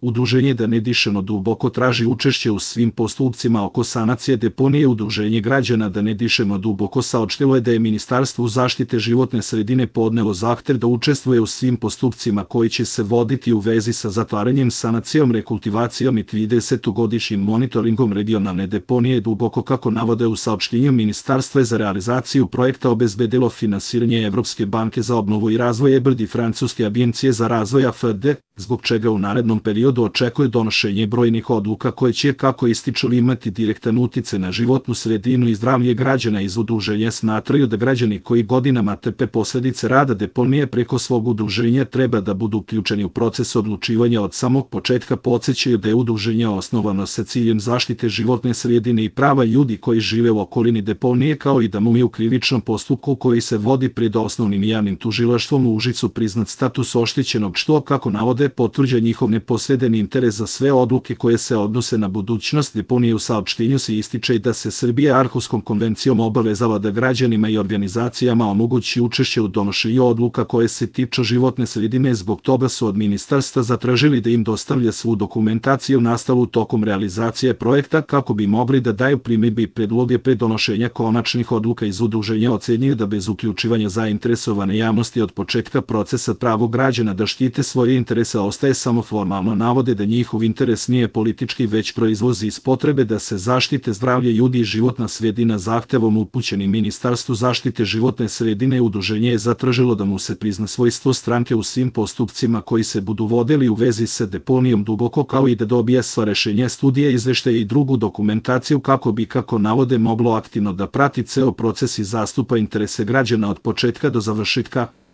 Udruženje Da ne dišemo duboko traži učešće u svim postupcima oko sanacije deponije. Udruženje građana Da ne dišemo duboko saopštilo je da je Ministarstvo zaštite životne sredine podnelo zahtev da učestvuje u svim postupcima koji će se voditi u vezi sa zatvaranjem, sanacijom, rekultivacijom i 30-godišnjim monitoringom regionalne deponije Duboko. Kako navode u saopštenju, Ministarstvo je za realizaciju projekta obezbedilo finansiranje Evropske banke za obnovu i razvoj EBRD i Francuske agencije za razvoj AFD, zbog čega u narednom periodu očekuje donošenje brojnih odluka koje će, kako ističu, imati direktan uticaj na životnu sredinu i zdravlje građana. Iz udruženja smatraju da građani koji godinama trpe posledice rada deponije preko svog udruženja treba da budu uključeni u proces odlučivanja od samog početka. Podsećaju da je udruženje osnovano sa ciljem zaštite životne sredine i prava ljudi koji žive u okolini deponije, kao i da mu je u krivičnom postupku koji se vodi pred osnovnim javnim tužilaštvom u Užicu priznat status oštećenog, što, kako navode, potvrđa njihov neposredni interes za sve odluke koje se odnose na budućnost deponije. U saopštenju se ističe da se Srbija Arhuskom konvencijom obavezala da građanima i organizacijama omogući učešće u donošenju odluka koje se tiču životne sredine. Zbog toga su od ministarstva zatražili da im dostavlja svu dokumentaciju nastalu tokom realizacije projekta kako bi mogli da daju primedbe i predloge pre donošenja konačnih odluka. Iz udruženja ocenjuju da bez uključivanja zainteresovane javnosti od početka procesa pravo građana da štite svoje interese ostaje samo formalno. Navode da njihov interes nije politički, već proizlazi iz potrebe da se zaštite zdravlje ljudi i životna sredina. Zahtevom upućenim Ministarstvu zaštite životne sredine udruženje je zatražilo da mu se prizna svojstvo stranke u svim postupcima koji se budu vodili u vezi sa deponijom Duboko, kao i da dobije sva rešenja, studije, izveštaje i drugu dokumentaciju kako bi, kako navode, moglo aktivno da prati ceo proces i zastupa interese građana od početka do završetka.